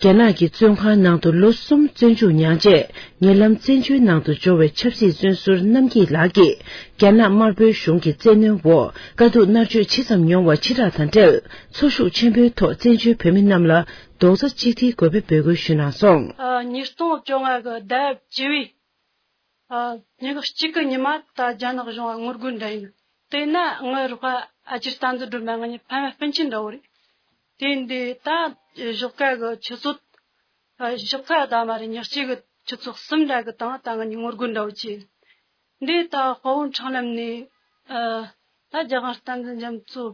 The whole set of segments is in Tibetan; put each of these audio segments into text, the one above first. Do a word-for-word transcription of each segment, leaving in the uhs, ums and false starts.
རྒྱ་ནག་གི་བཙོན་ཁང་ནང་དུ་ལོ་གསུམ་བཙོན་འཇུག་མྱངས་རྗེས། ཉེ་ལམ་བཙན་བྱོལ་ནང་དུ་འབྱོར་བའི་ཆབ་སྲིད་བཙོན་ཟུར་རྣམ་སྐྱིད་ལགས་ཀྱིས། རྒྱ་ནག་དམར་པོའི་གཞུང་གི་བཙན་གནོན་འོག་དཀའ་སྡུག་མནར་གཅོད་ཇི་ཙམ་མྱོང་བ་ཕྱི་བསྒྲགས་དང་འབྲེལ། འཚོ་ཤུགས་ཆེན་པོའི་ཐོག་བཙན་བྱོལ་བོད་མི་རྣམས་ལ་རྡོག་རྩ་གཅིག་སྒྲིལ་དགོས་པའི་འབོད་སྐུལ་ཞུས་གནང་སོང་། ཉིས་སྟོང་བཅོ་ལྔ་གི་ཟླ་བཅུ་པའི་ཉི་ཤུ་གཅིག་གི་ཉི་མ་ད་རྒྱ་ནག་གཞུང་ལ་ངོ་རྒོལ་འདྲ་ཡིན། དེས་ན་ངའི་རོགས་པ་ཨ་ཅེ་བསྟན་འཛིན་སྒྲོལ་མ་ང་གཉིས་ཕ་མ་སྤུན་མཆེད་འདྲ་བོ་རེད། དེ་འདི་ད་གཞོགས་ཀ་གི་ཆུ་ཚོད། གཞོགས་ཀ་ད་མ་རེད། ཉི་གཅིག་གི་ཆུ་ཚོད་གསུམ་འདྲ་གི་སྟེང་ད་ང་གཉིས་ངོ་རྒོལ་འདྲ་བོ་བྱས། འདི་ད་དཔའ་བོ་འཕྲང་ལམ་ནས་ད་རྒྱལ་དབང་བསྟན་འཛིན་རྒྱ་མཚོ།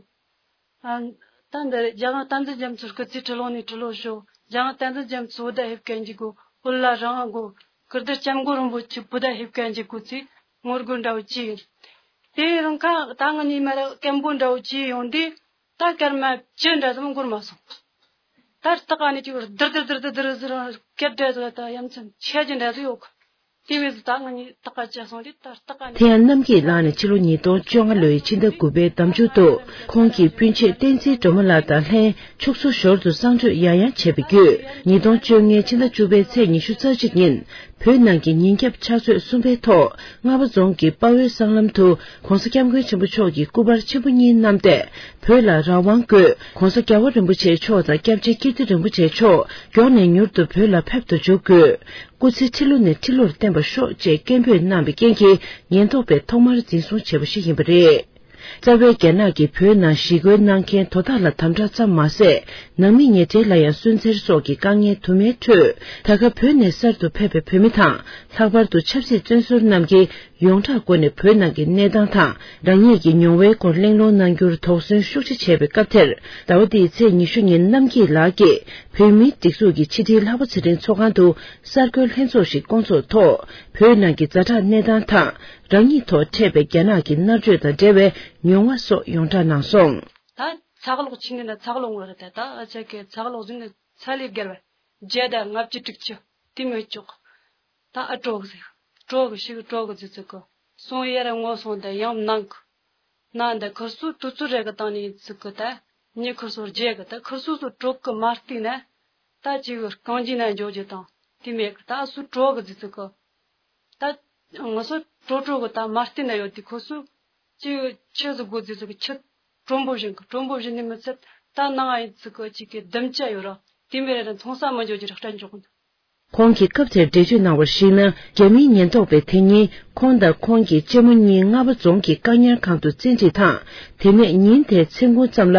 ད་འདི་རྒྱལ་དབང་བསྟན་འཛིན་རྒྱ་མཚོའི་སྐུ་ཚེ་ཁྲི་ལོ་ནས་ཁྲི་ལོ་ཤོག་རྒྱལ་དབང་བསྟན་འཛིན་རྒྱ་མཚོ་བོད་ཟླ་ཧེབ་ཀན་གྱི་གོ། བོད་ལ་རང་དབང་གོ། ཀིརྟི་སྐྱབས་མགོན་རིན་པོ་ཆེ་བོད་ཟླ་ཧེབ་ཀན་གྱི་གོ་ཚེ་ངོ་རྒོལ་འདྲ་བོ་བྱས་ཡིན། དེ་རིང་ཁ་ད་ང་གཉིས་མ་ར་སྐད་འབོད་འདྲ་བོ་བྱས་ཡོང་དུས་ད་སྐར་མ་བཅུ་འདྲ་ཙམ་འགོར་མ་སོང་། ད་སྟག་ཨ་ནི་ཅིག་རྡིར་རྡིར་རྡིར་རྡིར་ཟེར་སྐད་འདྲ་ཟེར་ད་ཡ་མཚན་ཆེ་རྒྱུ་འདྲ་ཟེར་ཡོད་གི། དེ་བས་སུ་ད་ང་གཉིས་སྟག་ཨ་བཅད་སོང་དུས་ད་སྟག་ཨ་ནི། དེ་ཡང་རྣམ་སྐྱིད་ལགས་ནས་ཕྱི་ལོ་ཉིས་སྟོང་བཅོ་ལྔ་ལོའི་ཕྱི་ཟླ་དགུ་པའི་ཟླ་མཇུག་ཏུ་ཁོང་གིས་སྤུན་མཆེད་བསྟན་འཛིན་སྒྲོལ་མ་ལགས་དང་ལྷན་ཕྱུགས་ཟོག་ཞོར་དུ་གསང་སྤྱོད་ཡང་ཡང་བྱས་པའི་བརྒྱུད། ཉིས་སྟོང་བཅོ་ལྔའི་ཕྱི་ཟླ་བཅུ་པའི་ཚེས་ཉི་ཤུ་རྩ་གཅིག་ཉིན། བོད་ནང་གི་ཉིན་རྒྱབ་ཕྱག་ཚོད་གསུམ་པའི་ཐོག་རྔ་བ་རྫོང་གི་དཔའ་བོའི་སྲང་ལམ་དུ་༸གོང་ས་༸སྐྱབས་མགོན་ཆེན་པོ་མཆོག་གི་སྐུ་པར་ཆེན་པོ་གཉིས་བསྣམས་ཏེ། བོད་ལ་རང་དབང་དགོས། ༸གོང་ས་༸རྒྱལ་བ་རིན་པོ་ཆེ་མཆོག་དང་སྐྱབས་རྗེ་ཀིརྟི་རིན་པོ་ཆེ་མཆོག་མགྱོགས་ནས་མྱུར་དུ་བོད་ལ་ཕེབས་སུ་འཇུག་དགོས། སྐུ་ཚེ་ཁྲི་ལོ་ནས་ཁྲི་ལོར་བརྟན་པར་ཤོག་ཅེས་སྐད་འབོད་གནང་བའི་རྐྱེན་གྱིས་ཉེན་རྟོག་པས་ཐོག་མར་འཛིན་བཟུང་བྱས་པ་ཞིག་ཡིན་པ་རེད། རྩ་བའི་རྒྱ་ནག་གིས་བོད་ནང་ཞི་རྒོལ་གནང་མཁན་དོ་བདག་ལ་དམ་དྲག་ཙམ་མ་ཟད། ནང་མི་ཉེ་འབྲེལ་ལ་ཡང་སུན་གཙེར་སོགས་ཀྱི་དཀའ་ངལ་དུ་མའི་ཁྲོད། ད་ཆ་བོད་ནས་གསར་དུ་ཕེབས་པའི་བོད་མི་དང་། ལྷག་པར་དུ་ཆབ་སྲིད་བཙོན་ཟུར་རྣམས་ཀྱིས་ཡོངས་གྲགས་སྒོ་ནས་བོད་ནང་གི་གནས་སྟངས་དང་། རང་ཉིད་ཀྱི་མྱོང་བའི་སྐོར་གླེང་སློང་གནང་རྒྱུར་དོགས་ཟོན་ཤུགས་ཆེ་བྱས་པའི་སྐབས་དེར། ཟླ་བ་འདིའི་ཚེས་ཉི་ཤུ་ཉིན་རྣམ་སྐྱིད་ལགས་ཀྱིས་བོད་མིའི་སྒྲིག་འཛུགས་ཀྱི་ཕྱི་དྲིལ་ལྷག་པ་ཚེ་རིང་ཚོགས་ཁང་དུ། གསར་འགོད་ལྷན་ཚོགས་ཤིག་བསྐོང་ཚོགས་ཐོག་བོད་ནང་གི་ཛ་དྲག་གནས་སྟངས་དང་། རང་ཉིད་ཐོག་འཕྲད་པའི་རྒྱ་ནག་གི་མནར་གཅོད་དང་འབྲེལ་བའི་མྱོང་བ་སོགས་ཡོངས་བསྒྲགས་གནང་སོང་། ད་ཚགས་ལོག་ཆི་ནི་ན་ཚགས་ལོག་ངོ་རེད་ད། ད་ཨ་ཅག་གི་ཚགས་ལོག་ཟིན་ནི་ཚ་ལས་བརྒལ་བ་བརྒྱ་དང་ལྔ་བཅུ་དྲུག་ཅུ་དེ་མི་ལྕོགས། ད་ཨ་ཀྲོག་ཟེར། ཀྲོག་གི་ཤིག་ཀྲོག་གི་ཟི་ཚིག་གི་སོང་ཡར་ངོ་སོང་ད་ཡང་ནང་གི་ན་འདི་ཁུར་སུ་དུས་ཚོད་རེ་གི་སྟེང་ནས་ཚིག་གི་ད་ཉི་ཁུར་སུ་རྒྱས་གི་ད་ཁུར་སུ་སུ་ཀྲོག་གི་མ་བལྟས་ན། ད་ཅིག་རྐང་རྗེས་ན་འཇོག་རྒྱུ་དང་དེ་མེད་གི་ད་སུ་ཀྲོག་གི་ཟི་ཚིག་གི་ད་ང་ཚོ་ཀྲོག་ཀྲོག་གི་ད་མ་བལྟས་ན་ཡོད་དེ་ཁུར་སུ་ཅིག་ཆི་ཟི་གོ་ཟི་ཚིག་གི་ཆི་ཀྲོམ་པོ་བཞིན་གི་ཀྲོམ་པོ་བཞིན་ནི་མི་ཚད་ད་ནང་ཨ་ཡི་ཚིག་གི་ཅིག་གི་ལྡུམ་ཅ་ཡོད་ར་དེ་མེད་ར་མཐོང་ས་མི་འཇོག་རྒྱུ་ར་སྐྲན་འཇོག་གི་ཁོང་གིས་སྐབས་དེར་འགྲེལ་བརྗོད་གནང་བར་གཞིགས་ན། རྒྱ་མིའི་ཉེན་རྟོག་པས་དེ་ཉིན་ཁོང་དང་ཁོང་གི་གཅེན་མོ་གཉིས་རྔ་བ་རྫོང་གི་བཀག་ཉར་ཁང་དུ་བཙན་ཁྲིད་དང་། དེ་ནས་ཉིན་དེའི་མཚན་གུང་ཙམ་ལ་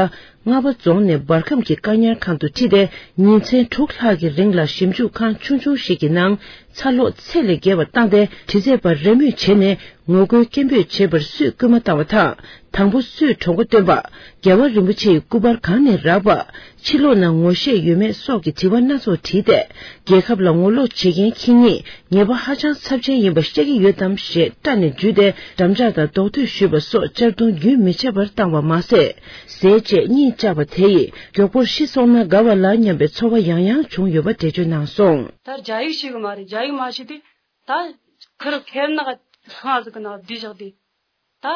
རྔ་བ་རྫོང་ནས་འབར་ཁམས་ཀྱི་བཀག་ཉར་ཁང་དུ་ཁྲིད་དེ། ཉིན་མཚན་དྲུག་ལྷག་གི་རིང་ལ་ཞིབ་འཇུག་ཁང་ཆུང་ཆུང་ཞིག་གི་ནང་ཚ་ལོག་ཚད་ལས་བརྒལ་བ་བཏང་སྟེ། དྲི་རྩད་པར་རེས་མོས་བྱས་ནས། ངོ་རྒོལ་སྐད་འབོད་བྱེད་པར་སུས་སྐུལ་མ་བཏང་བ་དང་། དང་པོ་སུས་གྲོགས་པོ་བཏོན་པ། རྒྱལ་བ་རིན་པོ་ཆེའི་སྐུ་པར་གང་ནས་རག་པ། ཕྱི་ལོགས་ན་ངོ་ཤེས་ཡོད་མེད་སོགས་ཀྱི་དྲི་བ་སྣ་ཚོགས་དྲིས་ཏེ། རྒྱལ་ཁབ་ལ་ངོ་ལོག་བྱེད་མཁན་ཁྱེད་ཉིད་ཉེས་པ་ཧ་ཅང་ཚབས་ཆེན་ཡིན་པ་ཤེས་ཀྱི་ཡོད་དམ་ཞེས་སྐྲག་ནས་འཇུས་ཏེ། འགྲམ་ལྕག་དང་རྡོག་ཐོས་གཞུས་པ་སོགས་གཅར་རྡུང་རྒྱུན་མི་ཆད་པར་བཏང་བ་མ་ཟད། ཟས་བཅད་གཉིད་བཅག་པ་དེ་ཡིས་མགྱོགས་པོར་ཤི་སོང་ན་དགའ་བ་ལ་སྙམ་པའི་ཚོར་བ་ཡང་ཡང་བྱུང་ཡོད་པ་འགྲེལ་བརྗོད་གནང་སོང་། ད་རྒྱ་ཡིག་ཤེས་གི་མ་རེད། རྒྱ་ཡིག་མ་ཤེས་དུས་ད་ཁིར་ཁེར་ནག་ཁང་ཟིག་གི་ནང་བསྡད་བཞག་དུས། ད་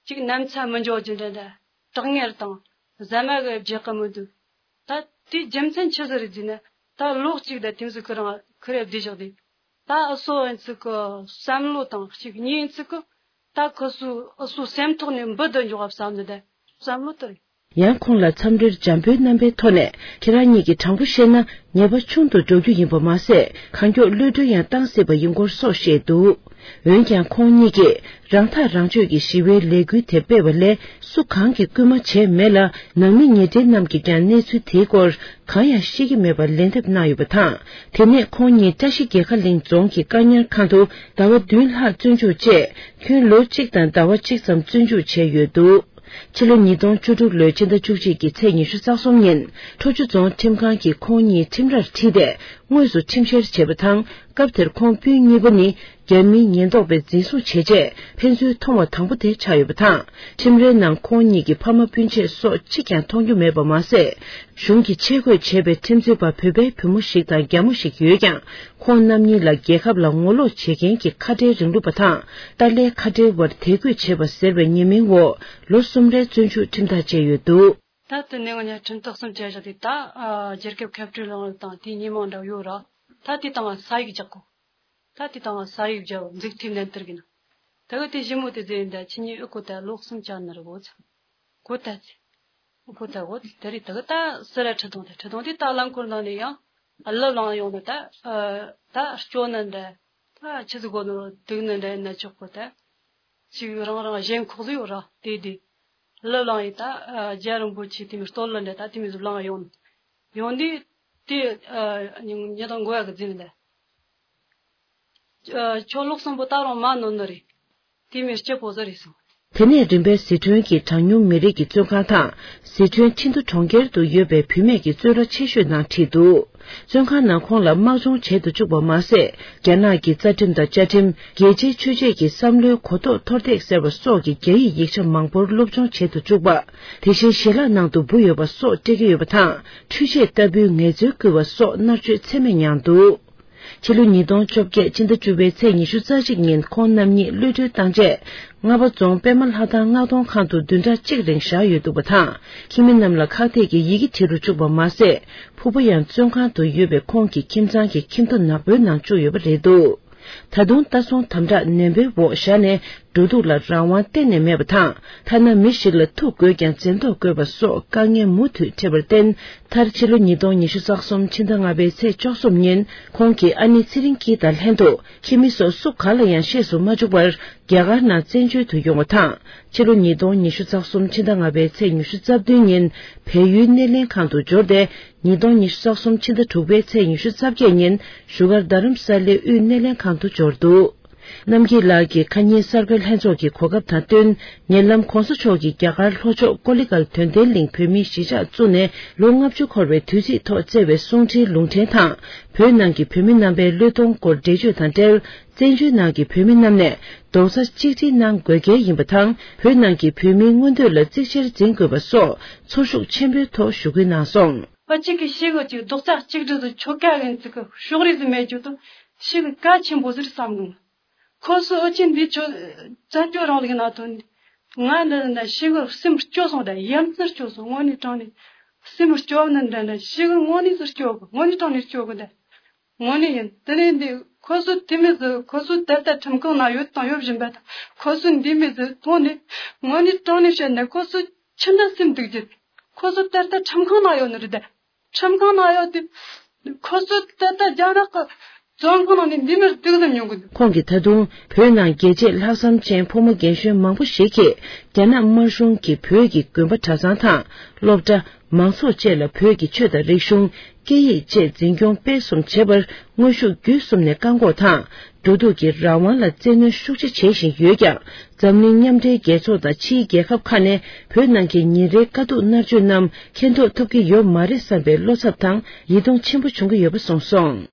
ཅིག་ནམ་ཚ་མི་འཇོག་རྒྱུ་འདྲ་འདྲ། གྲང་ངར་དང་ཟ་མ་གི་རྒྱག་གི་མི་འདུག་ད་དེའི་རྒྱུ་མཚན་ཆི་ཟིག་རེད་ཟེར་ན། ད་ལོ་གཅིག་ད་དེ་ཚོ་ཁོ་རང་ཁོ་རེ་བསྡད་བཞག་དུས། ད་ཨ་སོ་ཨན་ཚིག་གི་བསམ་བློ་དང་གཅིག་གཉིས་ཨན་ཚིག་གི་ད་ཁོ་སོ་ཨ་སོ་སེམས་ཐོག་ནས་འབུད་དུ་འཇོག་བསམ་ནི་ད་བསམ་བློ་དེ་རེད། ཡང་ཁོང་ལ་འཚམས་འདྲིར་འཇམ་པོའི་རྣམ་པའི་ཐོག་ནས། ཁྱེད་རང་ཉིད་ཀྱིས་དྲང་པོ་བཤད་ན་ཉེས་པ་ཆུང་དུ་འགྲོ་རྒྱུ་ཡིན་པ་མ་ཟད། གང་མགྱོགས་གློད་གྲོལ་ཡང་བཏང་སྲིད་པ་ཡིན་སྐོར་སོགས་བཤད་འདུག་འོན་ཀྱང་ཁོང་ཉིད་ཀྱིས་རང་ཐག་རང་གཅོད་ཀྱི་ཞི་བའི་ལས་འགུལ་དེ་སྤེལ་བ་ལས་སུ་གང་གིས་སྐུལ་མ་བྱས་མེད་ལ། ནང་མི་ཉེ་འབྲེལ་རྣམས་ཀྱིས་ཀྱང་གནས་ཚུལ་དེའི་སྐོར་གང་ཡང་ཤེས་ཀྱི་མེད་པར་ལན་འདེབས་གནང་ཡོད་པ་དང་། དེ་ནས་ཁོང་ཉིད་བཀྲ་ཤིས་རྒྱལ་ཁ་གླིང་རྫོང་གི་བཀག་ཉར་ཁང་དུ་ཟླ་བ་བདུན་ལྷག་བཙོན་འཇུག་བཅས་ཁྱོན་ལོ་གཅིག་དང་ཟླ་བ་གཅིག་ཙམ་བཙོན་འཇུག་བྱས་ཡོད་འདུག་ཕྱི་ལོ་ཉིས་སྟོང་བཅུ་དྲུག་ལོའི་ཕྱི་ཟླ་བཅུ་གཅིག་གི་ཚེས་ཉི་ཤུ་རྩ་གསུམ་ཉིན། ཁྲོ་ཆུ་རྫོང་ཁྲིམས་ཁང་གིས་ཁོང་གཉིས་ཁྲིམས་རར་ཁྲིད་དེ། དངོས་སུ་ཁྲིམས་བཤེར་བྱས་པ་དང་། སྐབས་དེར་ཁོང་སྤུན་གཉིས་པོ་ནི། རྒྱ་མིའི་ཉེན་རྟོག་པས་འཛིན་བཟུང་བྱས་རྗེས། ཕན་ཚུན་མཐོང་བ་དང་པོ་དེ་ཆགས་ཡོད་པ་དང་། ཁྲིམས་རའི་ནང་ཁོང་གཉིས་ཀྱི་ཕ་མ་སྤུན་མཆེད་སོགས་གཅིག་ཀྱང་མཐོང་རྒྱུ་མེད་པ་མ་ཟད། གཞུང་གིས་ཆས་གོས་བྱས་པའི་ཁྲིམས་རྩོད་པ་བོད་པའི་བུ་མོ་ཞིག་དང་རྒྱ་མོ་ཞིག་ཡོད་ཀྱང་། ཁོང་རྣམ་གཉིས་ལ་རྒྱལ་ཁབ་ལ་ངོ་ལོག་བྱེད་མཁན་གྱི་ཁ་བྲལ་རིང་ལུགས་པ་དང་། ཏཱ་ལའི་ཁ་བྲལ་བར་དད་གུས་བྱེད་པ་ཟེར་བའི་ཉེས་མིང་འོག་ལོ་གསུམ་རེའི་བཙོན་འཇུག་ཁྲིམས་ཐག་བཅད་ཡོད་འདུག་ད་དེ་ནས་ང་གཉིས་ཁྲིམས་ཐག་གསུམ་བཅད་བཞག་དེ་ད་ཨ་རྒྱལ་ཁབ་ཁྱབ་བསྒྲགས་ལངས་རིགས་དང་དེའི་ཉེས་མིང་འདྲ་ཡོད་ར། ད་དེ་དང་ས་ཡིག་རྒྱག་གོ། ད་དེ་དང་ས་ཡིག་རྒྱག་མཛུབ་ཐེལ་ལེན་བསྟར་གི་ན། ད་གི་དེ་ཞི་མོ་དེ་ཟེར་ཡིན་ད་ཁྱེད་གཉིས་ཨུ་གོ་ད་ལོ་གསུམ་བཅད་ནི་རེད་གོ་ཚ། གོ་ད་ཚེ། ཨུ་གོ་ད་གོ་དེ་རེད། ད་གི་ད་སི་ར་ཁྲི་དོང་དེ་ཁྲི་དོང་དེ་ད་རླངས་འཁོར་ནང་ནས་ཡང་ཨ་ལབ་ལངས་ཡོང་ནི་ད་ཨ་ད་སྐྱོ་ནི་འདྲ། ད་ཆི་ཟིག་གོ་ནོ་སྡུག་ནི་འདྲ་ཡིན་ན་ཆོག་གོ་ད། ཅིག་རང་རང་གཞན་ཁོག་ལ་ཡོད་ར་དེ་དེ། ལབ་ལངས་ཡིན་ད་ཨ་རྒྱལ་རིན་པོ་ཆེ་དེ་མི་སྟོད་ལ་འདྲ་ད་དེ་མི་ཟིག་ལངས་ཡོང་། ཡོང་དུས་དེ་ཨ་ཉི་ཉི་དང་མགོ་ཡག་གི་འཛིན་ལ། ཨ་ཁྱོད་ལོ་གསུམ་པོ་ད་རུང་མ་ནོར་ནི་རེད། དེ་མི་སྐྱིད་པོ་ཟིག་རེད་གསུངས། དེ་ནས་རིམ་པས་ཟི་ཁྲོན་གྱི་གྲངས་ཉུང་མི་རིགས་ཀྱི་བཙོན་ཁང་དང་། ཟི་ཁྲོན་ཁྲིན་ཏུ་གྲོང་ཁྱེར་དུ་ཡོད་པའི་བུད་མེད་ཀྱི་བཙོན་ར་ཆེ་ཤོས་ནང་ཁྲིད་འདུག་བཙོན་ཁང་ནང་ཁོང་ལ་དམག་སྦྱོང་བྱེད་དུ་བཅུག་པ་མ་ཟད། རྒྱ་ནག་གི་རྩ་ཁྲིམས་དང་བཅའ་ཁྲིམས། རྒྱལ་སྤྱིའི་ཆོས་བྱེད་ཀྱི་བསམ་བློའི་གོ་རྟོགས་མཐོར་འདེགས་ཟེར་བ་སོགས་ཀྱི་རྒྱ་ཡིག་ཡིག་ཆ་མང་པོར་སློབ་སྦྱོང་བྱེད་དུ་བཅུག་པ། དེ་བཞིན་ཞལ་ལག་ནང་དུ་འབུ་ཡོད་པ་སོགས་སྤྲད་ཀྱི་ཡོད་པ་དང་། འཕྲུལ་ཆས་ལྟ་བུའི་ངལ་རྩོལ་བསྐུལ་བ་སོགས་མནར་གཅོད་ཚད་མེད་མྱངས་འདུག་ཕྱི་ལོ་ཉིས་སྟོང་བཅོ་བརྒྱད་ཕྱི་ཟླ་བཅུ་པའི་ཚེས་ཉི་ཤུ་རྩ་གཅིག་ཉིན་ཁོང་རྣམ་གཉིས་གློད་གྲོལ་བཏང་རྗེས། རྔ་པ་རྫོང་པད་མ་ལྷ་ཐང་མངགས་གཏོང་ཁང་དུ་བདུན་ཕྲག་གཅིག་རིང་བཞག་ཡོད་འདུག་པ་དང་། ཁྱིམ་མི་རྣམས་ལ་ཁག་ཐེག་གི་ཡི་གེ་བྲིས་རུ་བཅུག་པ་མ་ཟད། ཕུ་བོ་ཡང་བཙོན་ཁང་དུ་ཡོད་པའི་ཁོང་གི་ཁྱིམ་ཚང་གི་ཁྱིམ་ཐོ་ནག་པོའི་ནང་བཅུག་ཡོད་པ་རེད་འདུག་ད་དུང་ལྟ་སྲུང་དམ་དྲག་ནན་པོའི་འོག་བཞག་ནས། འགྲོ་འདུག་ལ་རང་དབང་གཏན་ནས་མེད་པ་དང་། ཐ་ན་མི་ཞིག་ལ་ཐུག་དགོས་ཀྱང་འཛེམ་དོགས་དགོས་པ་སོགས་དཀའ་ངལ་མུ་མཐུད་འཕྲད་པར་བརྟེན། མཐར་ཕྱི་ལོ་ཉིས་སྟོང་ཉི་ཤུ་རྩ་གསུམ་ཕྱི་ཟླ་ལྔ་པའི་ཚེས་བཅུ་གསུམ་ཉིན། ཁོང་གི་ཨ་ནེ་ཚེ་རིང་སྐྱིད་དང་ལྷན་དུ་ཁྱིམ་མི་སོགས་སུ་ག་ལ་ཡང་ཤེས་སུ་མ་བཅུག་པར། རྒྱ་གར་ནང་བཙན་བྱོལ་དུ་ཡོང་བ་དང་། ཕྱི་ལོ་ཉིས་སྟོང་ཉི་ཤུ་རྩ་གསུམ་ཕྱི་ཟླ་ལྔ་པའི་ཚེས་ཉི་ཤུ་རྩ་བདུན་ཉིན་བལ་ཡུལ་སྣེ་ལེན་ཁང་དུ་འབྱོར་ཏེ། ཉིས་སྟོང་ཉི་ཤུ་རྩ་གསུམ་ཕྱི་ཟླ་དྲུག་པའི་ཚེས་ཉི་ཤུ་རྩ་བརྒྱད་ཉིན་བཞུགས་སྒར་རྡ་རམ་ས་ལའི་དབུས་སྣེ་ལེན་ཁང་དུ་འབྱོར་འདུག་རྣམ་རྒྱལ་ལགས་ཀྱིས་ཁ་ཉིན་གསར་འགོད་ལྷན་ཚོགས་ཀྱི་གོ་སྐབས་དང་བསྟུན། ཉེ་ལམ་༸གོང་ས་མཆོག་གིས་རྒྱ་གར་ལྷོ་ཕྱོགས་ཀོ་ལི་གལ་དོན་ལྡན་གླིང་བོད་མིའི་གཞིས་ཆགས་བཙུགས་ནས་ལོ་ལྔ་བཅུ་འཁོར་བའི་དུས་ཚིགས་ཐོག་བསྩལ་བའི་གསུང་འཕྲིན་ལུང་འདྲེན་དང་། བོད་ནང་གི་བོད་མི་རྣམ་པའི་བློས་གཏོང་སྐོར་འགྲེལ་བརྗོད་དང་འབྲེལ། བཙན་བྱོལ་ནང་གི་བོད་མི་རྣམས་ནས་རྡོག་རྩ་གཅིག་སྒྲིལ་གནང་དགོས་གལ་ཡིན་པ་དང་། བོད་ནང་གི་བོད་མིའི་མངོན་འདོད་ལ་གཙིགས་ཆེར་འཛིན་དགོས་པ་སོགས་ཚོར་ཤུགས་ཆེན་པོའི་ཐོག་ཞུ་སྐུལ་གནང་སོང་། ཨ་གཅིག་གིས་ཤེས་དགོས་ཀྱི་རྡོག་རྩ་གཅིག་སྒྲིལ་དུ་ཆོ་ག་ཡིན་ཚིག་གི་ཕྱོགས་རིས་སུ་མེད་རྒྱུ་དང་ཤེས་གི་གལ་ཆེན་པོ་ཟིག་བསམ་གི་འདུག་ཁོ་ཚོ་ཨོ་ཆེན་འདི་ཆོ་བཙན་བྱོལ་རིང་ལུགས་ནང་ཐོན་ང་འདི་ན་ཤེས་གི་སེམས་སྐྱོ་སོང་ད་ཡ་མཚན་སྐྱོ་སོང་དངོས་གནས་དྲང་ནས་སེམས་སྐྱོ་ནི་འདྲ་འདྲ་ཤེས་གི་དངོས་གནས་སུ་སྐྱོ་གི་དངོས་གནས་དྲང་ནས་སྐྱོ་གི་ད། དངོས་གནས་ཡིན། དེ་ནས་འདི་ཁོ་ཚོ་དེ་མི་ཟིག་ཁོ་ཚོ་ད་ལྟ་ཁྲིམས་ཁང་ན་ཡོད་དང་ཡོད་བཞིན་པ་དང་ཁོ་ཚོ་འདི་མི་ཟིག་མཐོང་ནས་དངོས་གནས་དྲང་གནས་བཤད་ན་ཁོ་ཚོ་ཆི་འདྲ་སེམས་སྡུག་རྒྱུ། ཁོ་ཚོ་ད་ལྟ་ཁྲིམས་ཁང་ན་ཡོད་ནི་རེད་དེ། ཁྲིམས་ཁང་ན་ཡོད་དེ། ཁོ་ཚོ་ད་ལྟ་རྒྱ་ནག་གི་བཙོན་ཁང་ནང་ནས་འདི་མི་སྡུག་ཙམ་མྱོང་གི་འདུག་ཁོང་གིས་ད་དུང་བོད་ནང་རྒྱལ་གཅེས་ལྷག་བསམ་ཅན་ཕོ་མོ་རྒན་གཞོན་མང་པོ་ཞིག་གིས་རྒྱ་ནག་དམར་གཞུང་གིས་བོད་ཀྱི་དགོན་པ་གྲྭ་ཚང་དང་སློབ་གྲྭ། མང་ཚོགས་བཅས་ལ་བོད་ཀྱི་ཆོས་དང་རིག་གཞུང་། སྐད་ཡིག་བཅས་འཛིན་སྐྱོང་སྤེལ་གསུམ་བྱེད་པར་དངོས་ཤུགས་བརྒྱུད་གསུམ་ནས་བཀག་འགོག་དང་། འགྲོ་འདུག་གི་རང་དབང་ལ་བཙན་གནོན་ཤུགས་ཆེ་བྱེད་བཞིན་ཡོད་ཀྱང་། འཛམ་གླིང་མཉམ་འབྲེལ་རྒྱལ་ཚོགས་དང་ཕྱིའི་རྒྱལ་ཁབ་ཁག་ནས་བོད་ནང་གི་ཉིན་རེའི་དཀའ་སྡུག་མནར་གཅོད་རྣམས་མཁྱེན་རྟོགས་ཐུབ་ཀྱི་ཡོད་མ་རེད་བསམ་པའི་བློ་འཚབ་དང་ཡིད་གདུང་ཆེན་པོ་བྱུང་གི་ཡོད་པ་གསུངས་སོང་།